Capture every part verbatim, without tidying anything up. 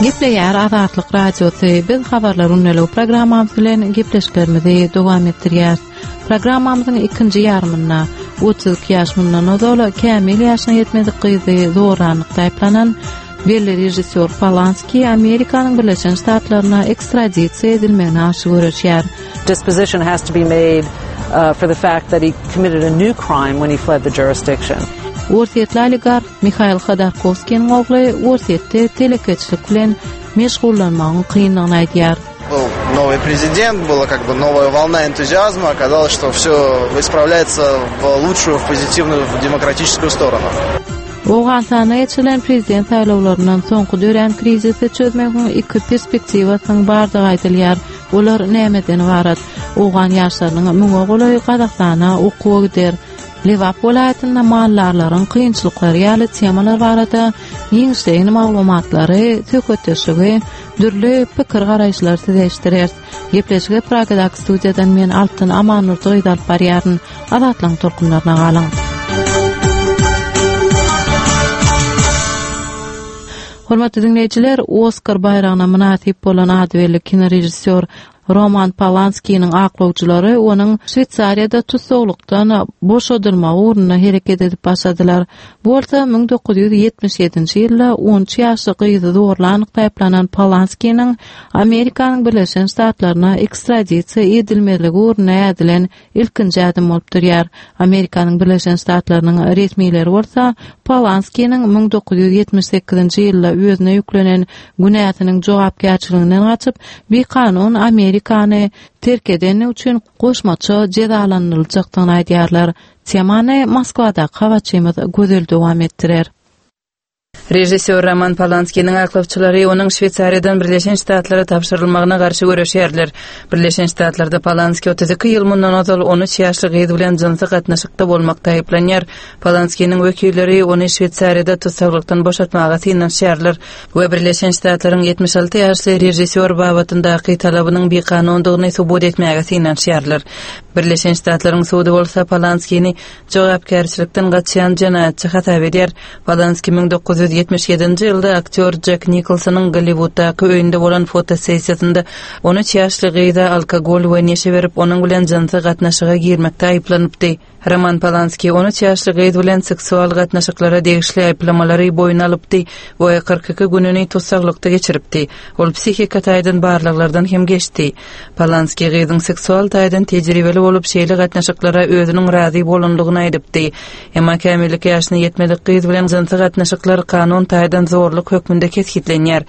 Gepleýär Azatlyk Radiosy. Biz habarlar gündeligi programmamyz bilen gepleşiklerimizi dowam etdirýäris. Programmamyzyň ikinji ýarymynda otuz iki ýaş mundan ozal kämil ýaşyna ýetmedik gyzy zorlanlykda aýyplanan belli režissýor Polanski Amerikanyň Birleşen Ştatlaryna ekstradisiýa edilmegine garşy göreşýär. Disposition has to be made uh, for the fact that he committed a new crime when he fled the jurisdiction. Orsýetli oligarh Mihail Hodorkowskiniň ogly Orsýetde telekeçilik bilen meşgullanmagyň kyndygyny aýdýar. Был новый президент, была как бы новая волна энтузиазма. Оказалось, что все исправляется в лучшую, в позитивную, в демократическую сторону. Owganystanda geçirilen prezident saýlawlaryndan soňky dörän krizisi çözmegiň iki perspektiwasynyň bardygy aýdylýar. Olar nämeden ybarat? Owgan ýaşlarynyň müňe golaýy Gazagystana okuwa gider. Lebap welaýatynda maldarlaryň kynçylyklary ýaly temalar barada giňişleýin maglumatlary, söhbetdeşligi, dürli pikir garaýyşlary size eşitdireris. Gepleşigi Pragadaky studiýadan men Altyn Amannurdy gyz alyp barýaryn. Azatlygyň tolkunlaryna galyň. Hormatly diňleýjiler, Oskar baýragyna mynasyp bolan ady belli kinorežissýor Roman Polanskiniň aklawçylary onuň Şweýsariýada tussaglykdan boşadylmagy ugrunda hereket edip başladylar. Bu bolsa müň dokuz ýüz ýetmiş ýedinji ýylda on üç ýaşly gyzy zorlanlykda aýyplanan Polanskiniň Amerikanyň Birleşen Ştatlaryna ekstradisiýa edilmezligi ugrunda ädilen ilkinji ädim bolup durýar. Amerikanyň Birleşen Ştatlarynyň resmileri bolsa Polanskiniň müň dokuz ýüz ýetmiş sekizinji ýylda özüne ýüklenen günäsiniň jogapkärçiliginden gaçyp, bikanun Amerikany terk edeni üçin goşmaça jezalandyryljakdygyny aýdýarlar. Temany Moskwadaky habarçymyz Gözel dowam etdirer. Režissýor Roman Polanskiniň aklawçylary onuň Şweýsariýadan Birleşen Ştatlara tabşyrylmagyna garşy göreşýärler. Birleşen Ştatlarda Polanski otuz iki ýyl mundan ozal on üç ýaşly gyz bilen jynsy gatnaşykda bolmakda aýyplanýar. Polanskiniň wekilleri ony Şweýsariýada tussaglykdan boşatmaga synanyşýarlar we Birleşen Ştatlaryň ýetmiş alty ýaşly režissýor babatyndaky talabynyň bikanundygyny subut etmäge synanyşýarlar. Birleşen Ştatlaryň sudy bolsa Polanskini jogapkärçilikden gaçýan jenaýatçy hasap edýär. Polanski müň dokuz ýüz ýetmiş ýedinji ýylda aktýor Jack Nicholsonyň Golliwuddaky öýünde bolan fotosessiýasynda on üç ýaşly gyza alkogol we neşe berip, onuň bilen jynsy gatnaşyga girmekde aýyplanypdy. Roman Polanski on üç ýaşly gyz bilen seksual gatnaşyklara degişli aýyplamalary boýun alypdy we kyrk iki gününi tussaglykda geçiripdi. Ol psihika taýdan barlaglardan hem geçdi. Polanski gyzyň seksual taýdan tejribeli bolup, şeýle gatnaşyklara özüniň razy bolandygyny aýdypdy. Emma kämillik ýaşyna ýetmedik gyz bilen jynsy gatnaşyklar kanun taýdan zorluk hökmünde kesgitlenýär.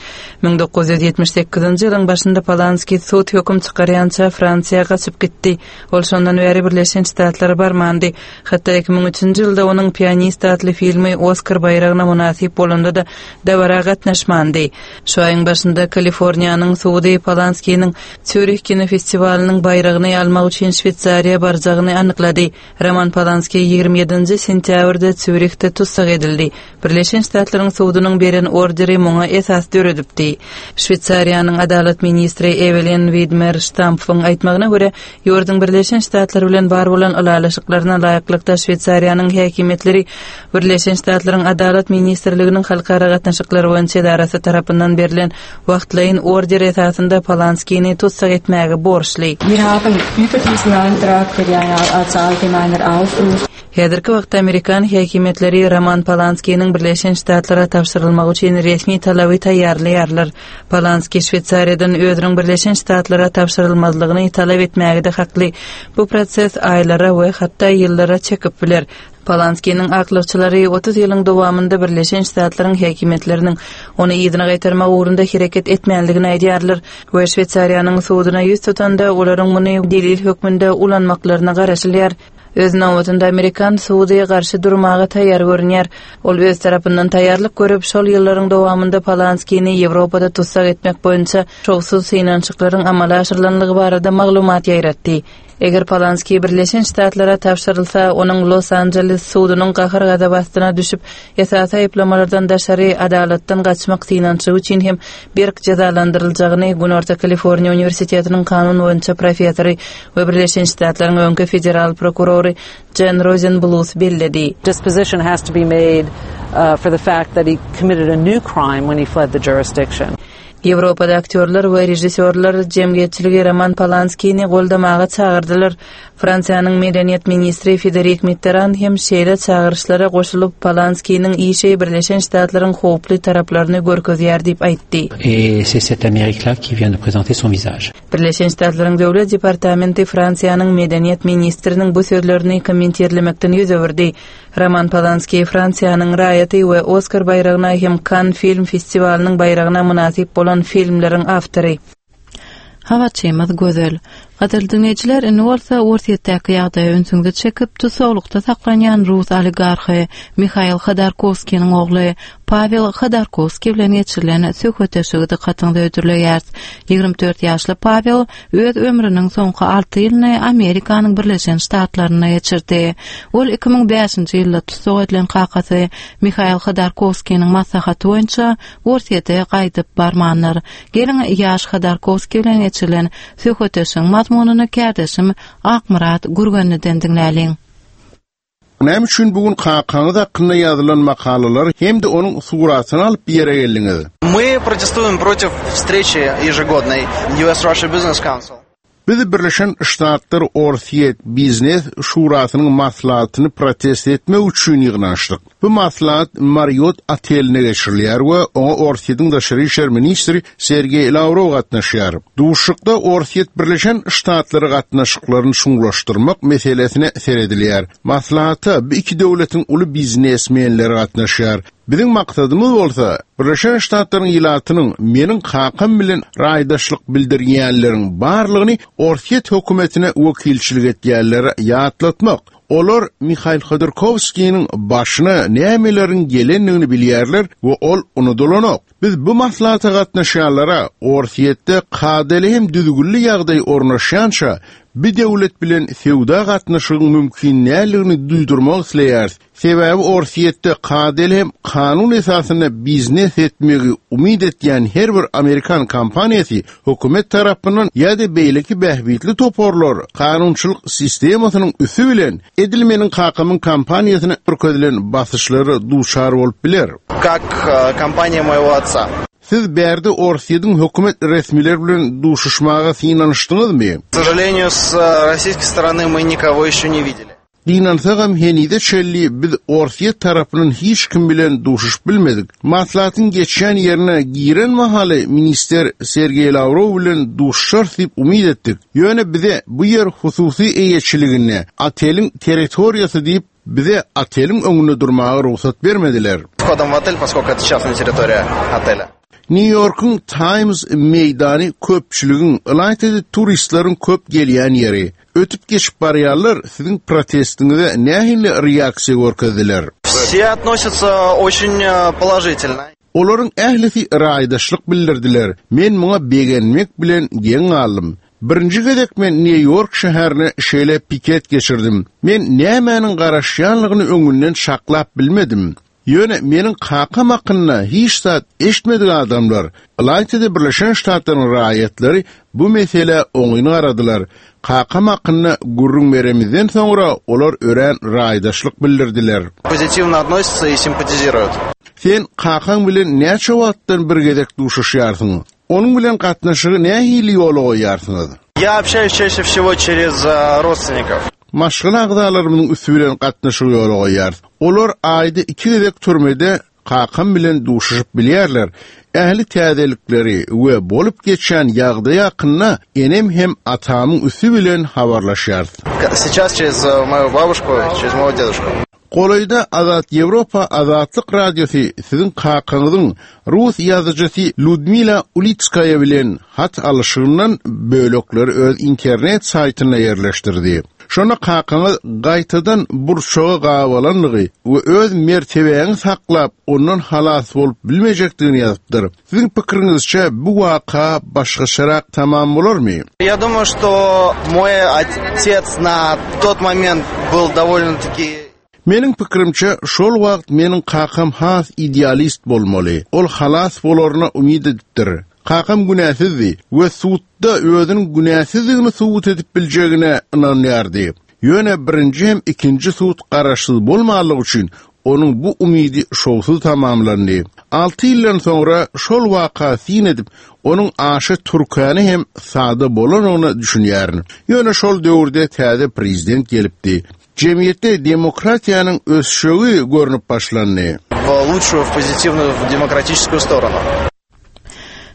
Müň dokuz ýüz ýetmiş sekizinji ýylyň başynda Polanski sud höküm çykarýança Fransiýa gaçyp gitdi. Ol şondan bäri Birleşen Ştatlara barmandy. Hatda iki müň üçünji ýylda onuň Pianist atly filmi Oskar baýragyna mynasyp bolanda-da dabara gatnaşmandy. Şu aýyň başynda Kaliforniýanyň sudy Polanskiniň Sýurih kinofestiwalynyň baýragyny almak üçin Şweýsariýa barjagyny anyklady. Roman Polanski ýigrimi ýedinji sentýabrda Sýurihde tussag edildi. Birleşen Ştatlaryň sudunyň beren orderi muňa esas döredipdi. Şweýsariýanyň adalat ministri Evelyn Widmer Stampfyň aýtmagyna görä, ýurduň Birleşen Ştatlary bilen bar bolan ylalaşyklaryna laýyklykda Şweýsariýanyň häkimiýetleri Birleşen Ştatlaryň Adalat Ministrliginiň halkara gatnaşyklary boýunça edarasy tarapyndan berlen wagtlaýyn order esasynda Polanskini tussag etmäge borçly. Wir haben über diesen Antrag, der ja als allgemeiner Aufruf Häzirki wagtda Amerikan häkimiýetleri Roman Polanskiniň Birleşen Ştatlara tabşyrylmagy üçin resmi talaby taýýarlaýarlar. Polanski Şweýsariýadan özüniň Birleşen Ştatlara tabşyrylmazlygyny talap etmäge-de hakly. Bu proses aýlara we hatda ýyllara çekip biler. Polanskiniň aklawçylary otuz ýylyň dowamynda Birleşen Ştatlaryň häkimiýetleriniň ony yzyna gaýtarmak ugrunda hereket etmänligini aýdýarlar we Şweýsariýanyň suduna ýüz tutanda olaryň muny delil hökmünde ulanmaklaryna garaşylýar. Öz nobatynda Amerikan sudy garşy durmaga taýýar görünýär. Ol öz tarapyndan taýýarlyk görüp, şol ýyllaryň dowamynda Polanskini Ýewropada tussag etmek boýunça şowsuz synanyşyklaryň amala aşyrylanlygy barada maglumat ýaýratdy. Eger Polanski Birleşen Ştatlara tabşyrylsa, onuň Los Angeles sudunyň gahar gazaby astyna düşüp, esasy aýyplamalardan daşary adalatdan gaçmak synanyşygy üçin hem berk jezalandyryljagyny Günorta Kaliforniýa Uniwersitetiniň kanun boýunça professory we Birleşen Ştatlaryň öňki federal prokurory Jen Rosenbluth belledi. Disposition has to be made, uh, for the fact that he committed a new crime when he fled the jurisdiction. Ýewropada aktýorlar we režissýorlar jemgyýetçiligi Roman Polanskini goldamaga çagyrdylar. Fransiýanyň medeniýet ministri Federik Mitterrand hem şeýle çagyryşlara goşulyp Polanskiniň işi Birleşen Ştatlaryň howply taraplaryny görkezýär diýip aýtdy. Et c'est cette Amérique-là qui vient de présenter son visage. Birleşen Ştatlaryň Döwlet departamenti Fransiýanyň medeniýet ministriniň bu sözlerini kommentirlemekden ýüz öwürdi. Roman Polanski Fransiýanyň raýaty we Oskar baýragyna hem Cannes film festiwalynyň baýragyna mynasyp bolan filmleriň awtory. Habarçymyz Gözel. Gadyrly diňleýjiler, indi bolsa Orsýetdäki ýagdaýa ünsüňizi çekip, tussaglykda saklanýan rus oligarhy Mihail Hodorkowskiniň ogly Pawel Hodorkowskiý bilen geçirilen söhbetdeşligi dykgatyňyza hödürleýäris. Ýigrimi dört ýaşly Pawel öz ömrüniň soňky alty ýylyny Amerikanyň Birleşen Ştatlarynda geçirdi. Ol iki müň bäşinji ýylda tussag edilen kakasy Mihail Hodorkowskiniň maslahaty boýunça Orsýete gaýdyp barmandyr. Geliň ýaş Hodorkowskiý bilen geçirilen söhbetdeşligiň mazmunyny kärdeşim Akmyrat Gürgenliden diňläliň. Näme üçin bugün kakaňyz hakynda ýazylan makalalar hem-de onuň suratyny alyp bir ýere geldiňiz? Мы протестуем против встречи ежегодной U S Russia Business Council. Biz Birleşen Ştatlar Orsýet Biznes Şurasynyň maslahatyny protest etmek üçin ýygnaşdyk. Bu maslahat Marriott oteline geçirilýär we oňa Orsýetiň daşary işler ministri Sergey Lavrov gatnaşýar. Duşuşykda Orsýet Birleşen Ştatlary gatnaşyklaryny çuňlaşdyrmak meselesine seredilýär. Maslahata bu iki döwletiň uly biznesmenleri gatnaşýar. Biziň maksadymyz bolsa Birleşen Ştatlaryň ilatynyň meniň kakam bilen raýdaşlyk bildirýänleriň barlygyny Orsýet hökümetine wekilçilik etýänlere ýatlatmak. Olar Mihail Hodorkowskiniň başyna nämeleriň gelendigini bilýärler we ol unudylanok. Biz bu maslahata gatnaşýanlara Orsýetde kadaly hem düzgünli ýagdaý ornaşýança bir döwlet bilen söwda gatnaşygyň mümkin näligini duýdurmak isleýäris. Sebäbi Orsýetde kadaly hem kanun esasynda biznes etmegi umyt etýän her bir Amerikan kompaniýasy hökümet tarapyndan ýa-da beýleki bähbitli toparlar kanunçylyk sistemasynyň üsti bilen edilmeniň kakamyň kompaniýasyna görkezilen basyşlara duçar bolup biler. Как, э, компания моего отца. Siz bärde Orsýetiň hökümet resmileri bilen duşuşmaga synanyşdyňyzmy? К сожалению, с, э, российской стороны мы никого еще не видели. Gynansagam henide çelli biz Orsýet tarapyndan hiç kim bilen duşuşup bilmedik. Maslahatyň geçýän ýerine giren mahaly minister Sergey Lavrov bilen duşuşar diýip umyt etdik. Ýöne bize bu ýer hususy eýeçiligine, oteliň territoriýasy diýip bize oteliň öňünde durmaga rugsat bermediler. Входом в отель, поскольку это частная территория отеля. New York'un Times meýdany köpçüligiň, ylaýta turistleriň köp gelýän ýeri. Ötüp geçip barýarlar siziň protestiňize nähili reaksiýa görkezdiler? Все относятся очень, э, положительно. Olaryň ählisi raýdaşlyk bildirdiler. Men muňa begenmek bilen geň galdym. Birinji gezek men New York şäherine şeýle piket geçirdim. Men nämäniň garaşýanlygyny öňünden şaklap bilmedim. Ýöne meniň kakam hakynda hiç zat eşitmedik adamlar, ylaýta-da Birleşen Ştatlaryň raýatlary bu mesele oňyn garadylar. Kakam hakynda gürrüň beremizden soňra olar örän raýdaşlyk bildirdiler. Позитивно относятся и симпатизируют. Sen kakaň bilen näçe wagtdan bir gezek duşuşýarsyň? Onuň bilen gatnaşygy nähili ýola goýýarsyňyz? Я общаюсь чаще всего через, э, родственников. Maşgala agzalarymyň üsti bilen gatnaşygy ýola goýýarys. Olar aýda iki gezek türmede kakam bilen duşuşup bilýärler. Ähli täzelikleri we bolup geçen ýagdaý hakynda enem hem atamyň üsti bilen habarlaşýarys. Сейчас через, э, мою бабушку, через моего дедушку. Golaýda Azat Ýewropa Azatlyk Radiosy siziň kakaňyzyň rus ýazyjysy Ludmila Ulitskaya bilen hat alyşygyndan bölekleri öz internet saýtynda ýerleşdirdi. Şona kakaňyz gaýtadan burçaga gawalanlygy we öz mertebäňi saklap ondan halas bolup bilmejekdigini ýazypdyr. Siziň pikiriňizçe bu waka başgaçarak tamam bolarmy? Я думаю, что мой отец на тот момент был довольно-таки Meniň pikirimçe şol wagt meniň kakam has idealist bolmaly. Ol halas bolaryna umyt edipdir. Kakam günäsizdi we sudda özüniň günäsizligini subut edip biljegine ynanýardy. Ýöne birinji hem ikinji sud garaşsyz bolmalygy üçin Onuň bu umydy şowsuz tamamlandy. Alty ýyldan soňra şol waka syn edip, onuň aşa türkana hem sada bolanyna düşünýärin. Ýöne şol döwürde täze prezident gelipdi. Jemgyýetde demokratiýanyň ösüşi görünip başlandy. В лучшую, в позитивную, в demokraтическую сторону.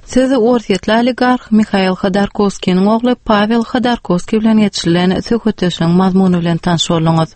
Siz Orsýetli oligarh Mihail Hodorkovskiyniň ogly Pavel Hodorkovskiy bilen geçirilen söhbetdeşligiň mazmuny bilen tanyş bolduňyz.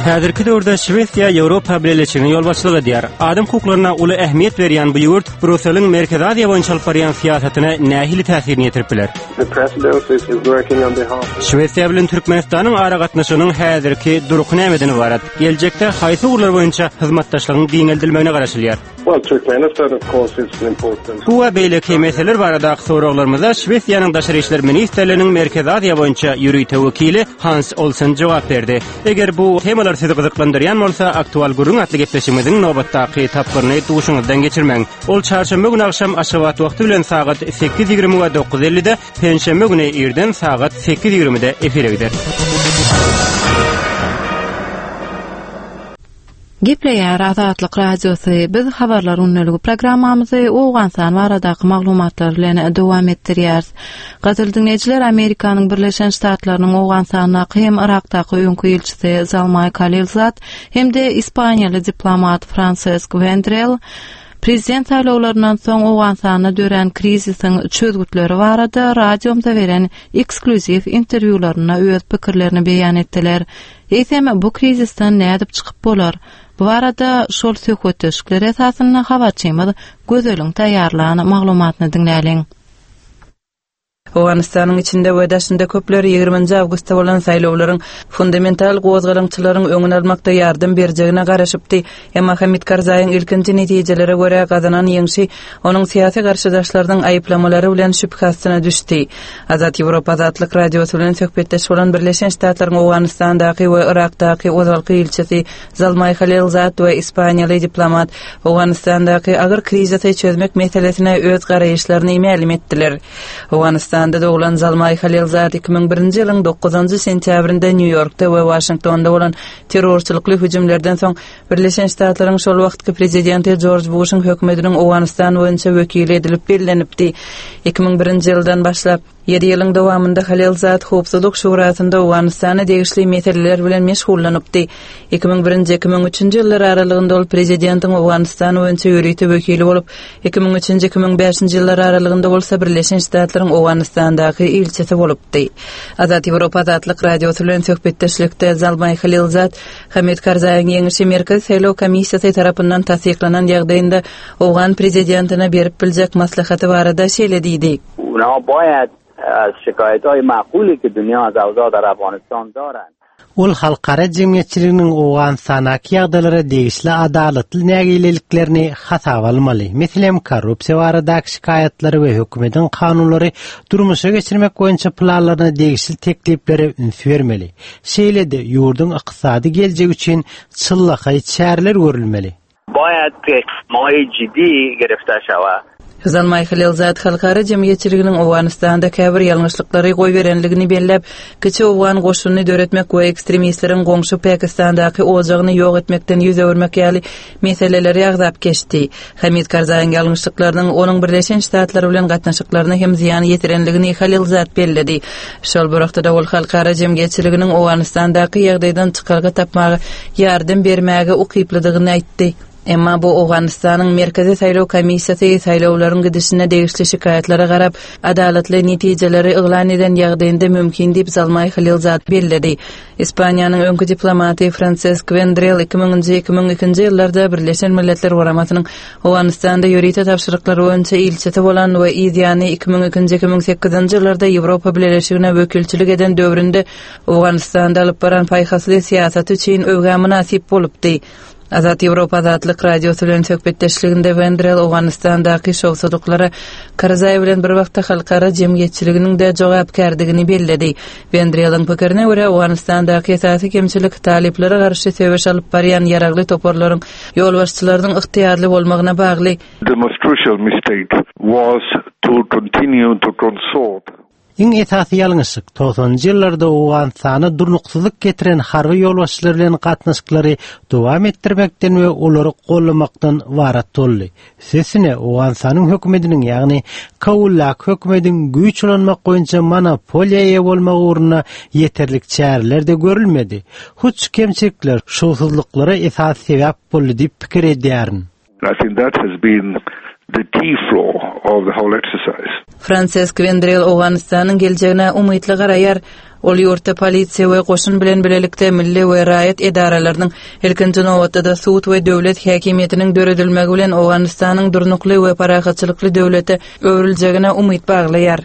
Häzirki döwürde Şwesiýa Ýewropa Bileleşigine ýolbaşçylyk edýär. Adam hukuklaryna uly ähmiýet berýän bu ýurt Bruseliň Merkezi Aziýa boýunça alyp barýan syýasatyna nähili täsirini ýetirip biler? The presidency is working on behalf Şwesiýa bilen Türkmenistanyň aragatnaşygynyň häzirki durky nämeden ybarat? Geljekde haýsy ugurlar boýunça hyzmatdaşlygyň giňeldilmegine garaşylýar? Well, Turkmenistan, of course, is an important Bu we beýleki meseleler baradaky soraglarymyza Şwesiýanyň Daşary işler ministrliginiň Merkezi Aziýa boýunça ýörite wekili Hans Olsen jogap berdi. Eger bu temalar sizi gyzyklandyrýan bolsa, aktual gürrüň atly gepleşigimiziň nobatdaky tapgyryny duşuňyzdan geçirmäň. Ol çarşenbe güni agşam Aşgabat wagty bilen sagat sekiz ýigrimi we dokuz ellide, penşenbe güni irden sagat sekiz ýigrimide efire gider. Gepleýär Azatlyk Radiosy. Biz habarlar gündeligi programmamyzy Owganystan baradaky maglumatlar bilen dowam etdirýäris. Gadyrly dinleýjiler, Amerikanyň Birleşen Ştatlarynyň Owganystandaky hem Irakdaky öňki ilçisi Zalmay Khalilzad hem-de Ispaniýaly diplomat Francesc Vendrell prezident saýlawlaryndan soň Owganystanda dörän krizisiň çözgütleri barada radiomda beren eksklýuziw interwýularynda öz pikirlerini beýan etdiler. Eýsem bu krizisden nädip çykyp bolar? Bu arada şol söhbetdeşlikler esasynda habarçymyz Gözeliň taýýarlan maglumatyny diňläliň. Owganystanyň içinde we daşynda köpler ýigriminji awgustda bolan saýlawlaryň fundamental gozgalaňçylaryň öňüni almakda ýardam berjegine garaşypdy. Emma Hamid Karzaýyň ilkinji netijelere görä gazanan ýeňşi onuň syýasy garşydaşlarynyň aýyplamalary bilen şübhe astyna düşdi. Azat Ýewropa Azatlyk Radiosy bilen söhbetdeş bolan Birleşen Ştatlaryň Owganystandaky we Irakdaky ozalky ilçisi Zalmay Khalilzad we Ispaniýaly diplomat Owganystandaky agyr krizisi çözmek meselesine öz garaýyşlaryny mälim etdiler. Owganystanda doglan Zalmay Khalilzad iki müň birinji ýylyň dokuzynjy sentýabrynda Nýu-Ýorkda we Waşingtonda bolan terrorçylykly hüjümlerden soň Birleşen Ştatlaryň şol wagtky prezidenti Jorj Bushyň hökümetiniň Owganystan boýunça wekili edilip bellenipdi. Iki müň birinji ýyldan başlap ýedi ýylyň dowamynda Khalilzad Howpsuzlyk Şurasynda Owganystana degişli meseleler bilen meşgullanypdy. Iki müň birinji iki müň üçünji ýyllar aralygynda ol prezidentiň Owganystan boýunça ýörite wekili bolup, iki müň üçünji iki müň bäşinji ýyllar aralygynda bolsa Birleşen Ştatlaryň Owganystandaky ilçisi bolupdy. Azat Ýewropa Azatlyk Radiosy bilen söhbetdeşlikde Zalmay Khalilzad Hamid Karzaýyň ýeňişi Merkezi Saýlaw Komissiýasy tarapyndan tassyklanan ýagdaýynda Owgan prezidentine berip biljek maslahaty barada şeýle diýdi. Una باید از شکایت‌های معقولی که دنیا از اوضاع در افغانستان دارند. Ol halkara jemgyýetçiliginiň Owganystandaki ýagdaýlara degişli adalatly nägileliklerini hasaba almaly. Meselem, korrupsiýa baradaky şikaýatlary we hökümetiň kanunlary durmuşa geçirmek boýunça planlaryna degişli tekliplere üns bermeli. Şeýle-de ýurduň ykdysady geljegi üçin çyllakaý çäreler görülmeli. باید اقدامات ciddi گرفته شود. Zalmay Khalilzad halkara jemgyýetçiliginiň Owganystanda käbir ýalňyşlyklary goýberenligini belläp, kiçi Owgan goşunyny döretmek we ekstremistleriň goňşy Pakistandaky ojagyny ýok etmekden ýüz öwürmek ýaly meseleleri agzap geçdi. Hamid Karzaýyň ýalňyşlyklarynyň onuň Birleşen Ştatlary bilen gatnaşyklaryna hem zyýan ýetirenligini Khalilzad belledi. Şol bir wagtda ol halkara jemgyýetçiliginiň Owganystandaky ýagdaýdan çykalga tapmaga ýardam bermäge ukyplydygyny aýtdy. Emma bu Owganystanyň Merkezi Saýlaw Komissiýasy saýlawlaryň gidişine degişli şikaýatlara garap, adalatly netijeleri yglan eden ýagdaýynda mümkin diýip Zalmay Khalilzad belledi. Ispaniýanyň öňki diplomaty Francesc Vendrell iki müňünji iki müň ikinji ýyllarda Birleşen Milletler Guramasynyň Owganystanda ýörite tabşyryklary boýunça ilçisi bolan we Iziýany iki müň ikinji iki müň sekizinji ýyllarda Ýewropa Bileleşigine wekilçilik eden döwründe Owganystanda alyp baran paýhasly syýasaty üçin öwgä mynasyp bolupdy. Azat Ýewropa Azatlyk Radiosy bilen söhbetdeşliginde Vendrell Owganystandaky şowsuzlyklara Karzaý bilen bir wagtda halkara jemgyýetçiliginiň de jogapkärdigini belledi. Vendrelliň pikirine görä Owganystandaky esasy kemçilik talyplara garşy söweş alyp barýan ýaragly toparlaryň ýolbaşçylarynyň ygtyýarly bolmagyna bagly. The most crucial mistake was to continue to consort. Iň esasy ýalňyşlyk togsanynjy ýyllarda Owganystana durnuksyzlyk getiren harby ýolbaşçylar bilen gatnaşyklary dowam etdirmekden we olary gollamakdan ybarat boldy. Sesine Owganystanyň hökümetiniň, ýagny Kabuldaky hökümetiň güýç ulanmak boýunça monopoliýa eýe bolmagy ugrunda ýeterlik çäreler de görülmedi. Hut şu kemçilikler şowsuzlyklara esas sebäp boldy diýip pikir edýärin. I think that has been the key flaw of the whole exercise. Fransisk Vendrell Owganystanyň geljegine umytly garaýar. Ol ýurtda polisiýa we goşun bilen birlikde milli we raýat edaralarynyň ilkinji nobatda sud we döwlet häkimiýetiniň döredilmegi bilen Owganystanyň durnukly we parahatçylykly döwlete öwrüljegine umyt baglaýar.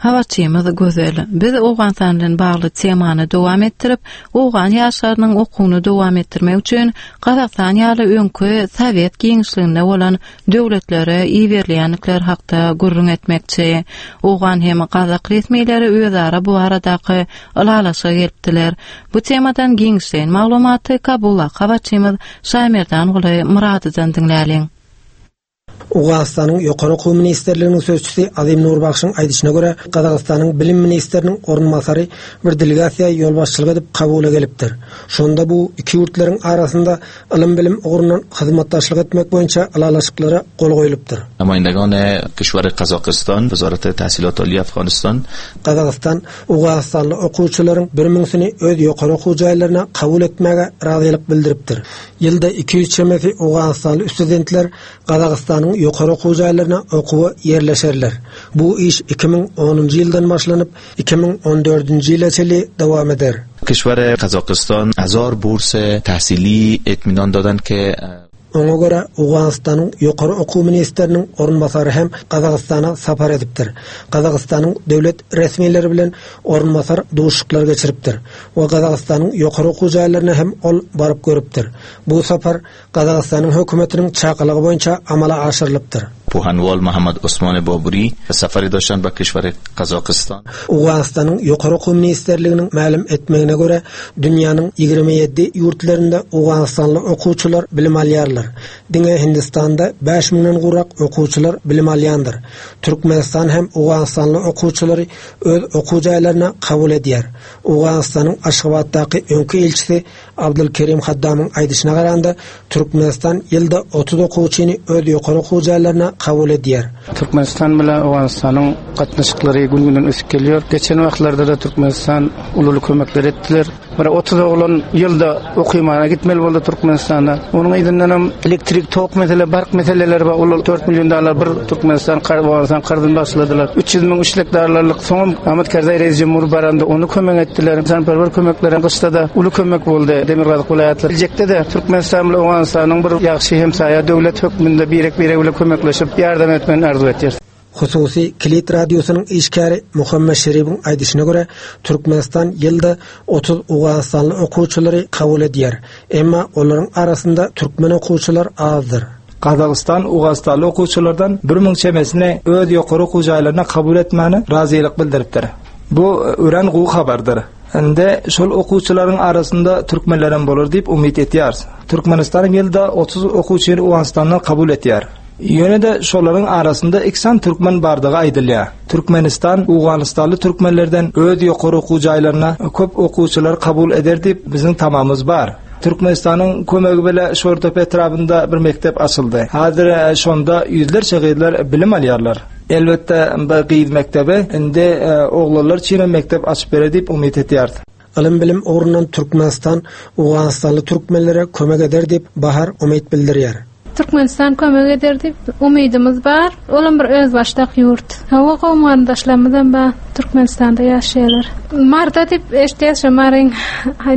Habarçymyz Gözel. Biz Owganystan bilen bagly temany dowam etdirip, Owgan ýaşlarynyň okuwyny dowam etdirmek üçin Gazagystan ýaly öňki Sowet giňişliginde bolan döwletlere iberilýändikleri hakda gürrüň etmekçi. Owgan hem Gazak resmileri özara bu baradaky ylalaşyga gelipdiler. Bu temadan giňişleýin maglumaty Kabulda habarçymyz Şaýmerdan Myradydan diňläliň. Owganystanyň Ýokary Okuw Ministrliginiň sözçüsi Azim Nurbakşyň aýdyşyna görä, Gazagystanyň Bilim ministriniň orunbasary bir delegasiýa ýolbaşçylyk edip kabula gelipdir. Şonda bu iki ýurtlaryň arasynda ylym-bilim ugrundan hyzmatdaşlyk etmek boýunça ylalaşyklara gol goýlupdyr. نمایندگان کشور قزاقستان وزارت تحصیلات عالی افغانستان Gazagystan Owganystanly okuwçylaryň bir müňsini öz ýokary okuw jaýlaryna kabul etmäge razylyk bildiripdir. Ýylda iki ýüz çemesi Owganystanly studentler Gazagystanyň ýokary okuw jaýlaryna okuwa ýerleşerler. Bu iş iki müň onunjy ýyldan başlanyp iki müň on dördünji ýyla çenli dowam eder. کشور قزاقستان هزار بورس تحصیلی اطمینان دادن که Oňa görä Owganystanyň Ýokary Okuw Ministriniň orunbasary hem Gazagystana sapar edipdir. Gazagystanyň döwlet resmileri bilen orunbasar duşuşyklar geçiripdir we Gazagystanyň ýokary okuw jaýlaryna hem ol baryp görüpdir. Bu sapar Gazagystanyň hökümetiniň çakylygy boýunça amala aşyrylypdyr. پوهنوال محمد عثمان بابوری سفری داشتن به کشور قزاقستان. Owganystanyň Ýokary Okuw Ministrliginiň mälim etmegine görä dünýäniň ýigrimi ýedi ýurtlarynda Owganystanly okuwçylar bilim alýarlar. Diňe Hindistanda bäş müňden gowrak okuwçylar bilim alýandyr. Türkmenistan hem Owganystanly okuwçylary öz okuw jaýlaryna kabul edýär. Owganystanyň Aşgabatdaky öňki ilçisi Abdülkerim Haddamyň aýdyşyna garanda Türkmenistan ýylda otuz okuwçyny öz ýokary okuw jaýlaryna kabul edýär. Türkmenistan bilen Owganystanyň gatnaşyklary gün-günden ösüp gelýär. Geçen wagtlarda da Türkmenistan ululy kömekler etdiler. Bir otuz oglan ýylda okymana gitmeli boldy Türkmenistanda. Onuň yzyndan hem elektrik tok mesele, bark meseleleri bar. Olar dört milyon dollar bir Türkmenistan kar, Owganystan karzyny başladylar. Üç ýüz müň üçlük dollarlyk soňam Ahmet Karzai reis cumhur baranda onu kömek etdiler. Insanperwer kömekleri gyşda da uly kömek boldy Demirgazyk welaýatlar. Geljekde de Türkmenistan bilen Owganystanyň bir ýagşy hemsaýa döwlet hökmünde birek-birek bilen kömekleşip ýardam etmegini arzuw etýär. Hususi Kilit radiosynyň işgäri Muhammed Şeribiň aýdyşyna görä Türkmenistan ýylda otuz Owganystanly okuwçylary kabul edýär. Emma olaryň arasynda türkmen okuwçylar azdyr. Gazagystan Owganystanly okuwçylardan bir müň çemesini öz ýokary okuw jaýlaryna kabul etmäni razylyk bildiripdir. Bu ören gowy habardyr. Indi şol okuwçylaryň arasynda türkmenler bolar diýip umyt etýäris. Türkmenistan ýylda otuz okuwçyny Owganystandan kabul etýär. Ýöne de şolaryň arasynda iksan türkmen bardygy aýdylýar. Türkmenistan Owganystanly türkmenlerden öz ýokary okuw jaýlaryna köp okuwçylar kabul eder diýip biziň tamamymyz bar. Türkmenistanyň kömegi bilen Şortepe etrabynda bir mekdep açyldy. Häzir, e, şonda ýüzlerçe gyzlar bilim alýarlar. Elbetde bu gyz mekdebi indi, e, oglanlar üçin mekdep açyp berer diýip umyt etýär. Ylym bilim ugrundan Türkmenistan Owganystanly türkmenlere kömek eder diýip Bahar umyt bildirýär. Türkmenistan kömek eder diýip umydymyz bar. Olam bir öz başdak ýurt. Hawa gowmandaşlarymyzam bar. Türkmenistanda ýaşaýarlar. Marda diýip eşitýäs şu Maryň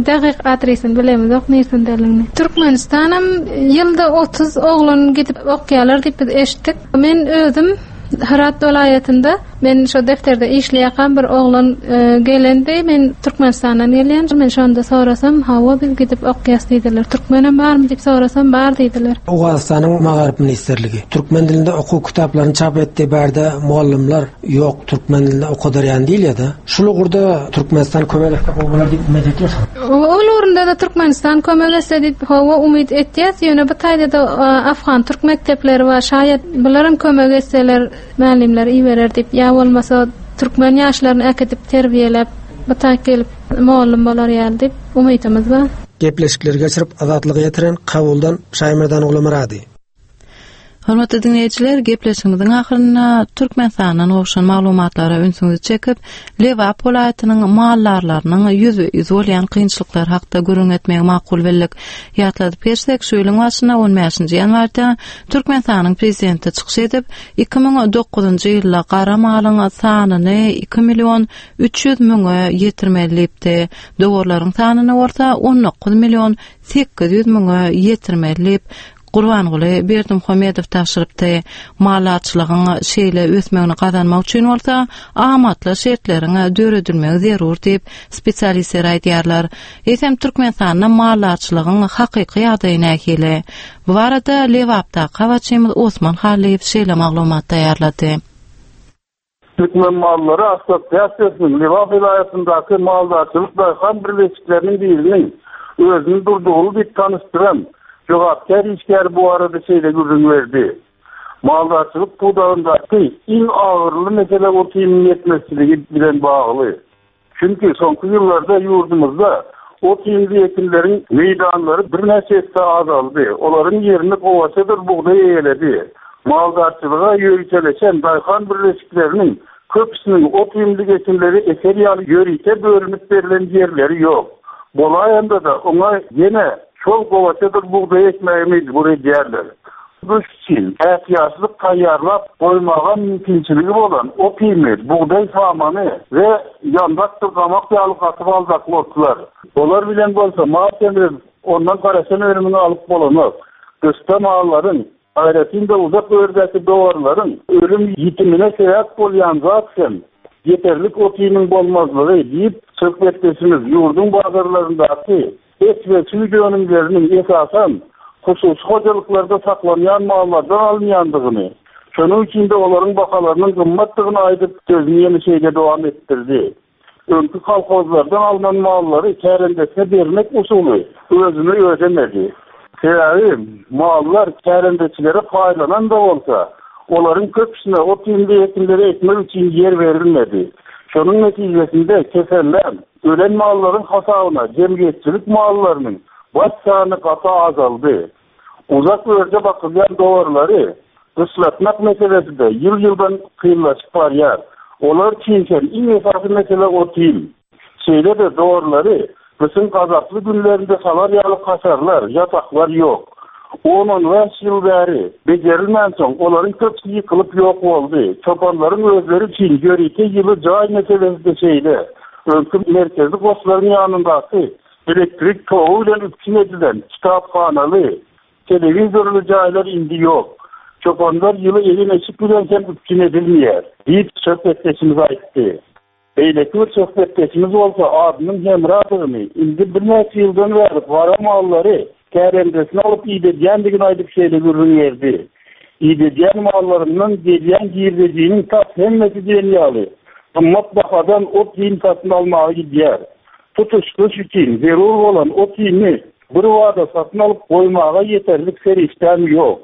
dagyk adresini bilemiz, ok nirdendigini. Türkmenistanam ýylda otuz oglan gidip okýarlar diýip biz eşitdik. Men özüm Herat welaýatynda men şu defterde işleýän bir oglan, e, gelendi. Men Türkmenistandan gelýän. Men şonda sorasam, hawa biz gidip okýas diýdiler. Türkmenem barmy diýip sorasam, bar diýdiler. Owganystanyň Magaryf Ministrligi türkmen dilinde okuw kitaplaryny çap etdi. Bärde muallimler ýok, türkmen dilinde okadarýan diýilýär-de. Şul ugurda Türkmenistan kömek etse bolar diýip umyt etýärsiň. Ol orunda da Türkmenistan kömek etse diýip hawa umyt etýäs. Ýöne bu taýda da, e, Afgan türk mekdepleri bar. Şaýat bularam kömek etseler, muallimler iyi verer diýip, ýa bolmasa Türkmen ýaşlaryny äkidip terbiýeläp, bu taýy gelip mugallym bolar ýaly diýip umydymyz bar. Gepleşikleri geçirip Azatlyga ýetiren Kabuldan Şaýmerdan Gulmyrady. Hormatly dinleýjiler, gepleşigimiziň ahyrynda Türkmenistandan gowşan maglumatlara ünsüňizi çekip, Lebap welaýatynyň maldarlarynyň ýüz-ýüz bolýan kynçylyklar hakda gürrüň etmegi makul bildik. Ýatladyp geçsek, şu ýylyň başynda on bäşinji ýanwarda Türkmenistanyň prezidenti çykyş edip, iki müň dokuzynjy ýylda gara malyň sanyny iki million üç ýüz müňe ýetirmeli diýipdi. Dowarlaryň sanyny bolsa on dokuz million sekiz ýüz müňe ýetirmeli diýip Gurbanguly Berdimuhamedow tabşyrypdy. Maldarçylygyň şeýle ösmegini gazanmak üçin bolsa amatly şertleriň döredilmegi zerur diýip spesialistler aýdýarlar. Eýsem Türkmenistanda maldarçylygyň hakyky ýagdaýy nähili? Bu barada Lebapdaky habarçymyz Osman Hallyýew şeýle maglumat taýýarlady. Türkmen mallary Assosiasiýasynyň Lebap welaýatyndaky maldarçylyk daýhan birleşikleriniň biriniň özüni durdugyny diýip tanyşdyran jogapkär işgär bu arada şeýle gürrüň berdi. Maldarçylyk pudagyndaky iň agyrly mesele ot-iýmiň ýetmezçiligi bilen bagly. Çünki soňky ýyllarda ýurdumyzda ot-iýmli ekinleriň meýdanlary birnäçe esse azaldy. Olaryň ýerini gowaçadyr bugdaý eýeledi. Maldarçylyga ýöriteleşen daýhan birleşikleriniň köpüsiniň ot-iýmli ekinleri eker ýaly ýörite bölünip berlen ýerleri ýok. Bolaýanda da oňa ýene şol gowaçadyr bugdaý ekmäge mejbur edýärler. Bu üçin ätiýaçlyk taýýarlap goýmaga mümkinçiligi bolan ot-iými, bugdaý samany we ýandakdyr gamak ýaly gatyp aldakly otlar. Olar bilen bolsa mal semrip, ondan garaşan önümini alyp bolanok. Gyşda mallaryň, aýratyn-da uzak ördäki dowarlaryň ölüm ýitimine sebäp bolýan zat hem ýeterlik ot-iýmiň bolmazlygy diýip söhbetdeşimiz ýurduň bazarlaryndaky et we süýt önümleriniň esasan hususy hojalyklarda saklanýan mallardan alynýandygyny, şonuň üçin de olaryň bahalarynyň gymmatdygyny aýdyp sözüni ýene şeýle dowam etdirdi. Öňki kolhozlardan alynan mallary kärendesine bermek usuly özüni ödemedi. Sebäbi mallar kärendeçilere paýlanan da bolsa, olaryň köpüsine ot-iýmli ekinleri ekmek üçin ýer berilmedi. Şonuň netijesinde kesellän, ölen mallaryň hasabyna jemgyýetçilik mallarynyň baş sany gaty azaldy. Uzak örde bakylýan dowarlary gyşlatmak meselesi de ýyl-ýyldan kynlaşyp barýar. Olar üçin hem iň esasy mesele ot-iým. Şeýle-de dowarlary gyşyň gazaply günlerinde salar ýaly kaşarlar, ýataklar ýok. On-on bäş ýyl bäri bejerilmän soň olaryň köpüsi ýykylyp ýok boldy. Çopanlaryň özleri üçin ýörite ýyly jaý meselesi de şeýle. Öňki merkezi goşlaryň ýanyndaky elektrik togy bilen üpjün edilen kitaphanaly, telewizorly jaýlar indi ýok. Çopanlar ýyly egin-eşik bilen hem üpjün edilmeýär diýip söhbetdeşimiz aýtdy. Beýleki bir söhbetdeşimiz bolsa adynyň Hemradygyny, indi birnäçe ýyldan bäri gara mallary kärendesine alyp idedýändigini aýdyp şeýle gürrüň berdi. Idedýän mallaryndan gelýän girdejiniň tas hemmesi diýen ýaly gymmat bahadan ot-iým satyn almaga gidýär. Tutuş gyş üçin zerur bolan ot-iými bir wada satyn alyp goýmaga ýeterlik serişdäm ýok.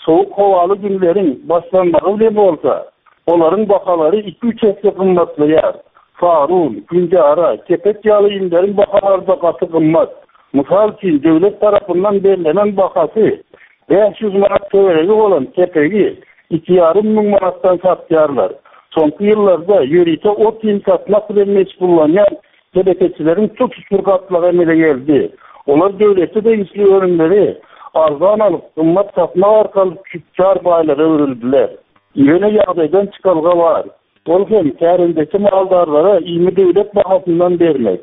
Soğuk howaly günleriň başlanmagy bilen bolsa, olaryň bahalary iki-üç esse gymmatlaýar. Farun, günjara, kepek ýaly iýmleriň bahalary da gaty gymmat. Mysal üçin döwlet tarapyndan berlenen bahasy bäş ýüz manat töweregi bolan kepegi iki ýarym müň manatdan satýarlar. Soňky ýyllarda ýörite ot-iým satmak bilen meşgullanýan telekeçileriň tutuş bir gatlagy emele geldi. Olar döwlete degişli önümleri arzan alyp, gymmat satmak arkaly tüçjar baýlara öwrüldiler. Ýöne ýagdaýdan çykalga bar. Ol hem kärendeki maldarlara iými döwlet bahasyndan bermek.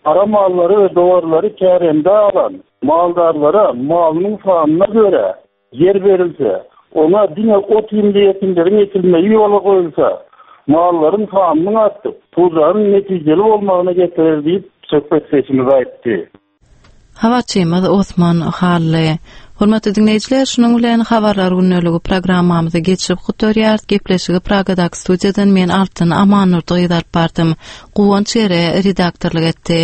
Ara mallary we dowarlary kärende alan maldarlara malynyň sanyna görä ýer berilse, oňa diňe ot-iýmli ekinleriň ekilmegi ýola goýulsa, mallaryň sanynyň artyp, pudagyň netijeli bolmagyna getirer diýip söhbetdeşimiz aýtdy. Habarçymyz Osman Hally. Hormatly dinleýjiler, şunuň bilen habarlar gündeligi programmamyzy geçirip gutarýarys. Gepleşigi Pragadaky studiýadan men Altyn Amannurdy gyz alyp bardym. Guwanç Ere redaktorlyk etdi.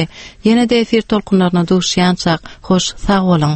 Ýene-de efir tolkunlaryna duşýançak, hoş sag boluň.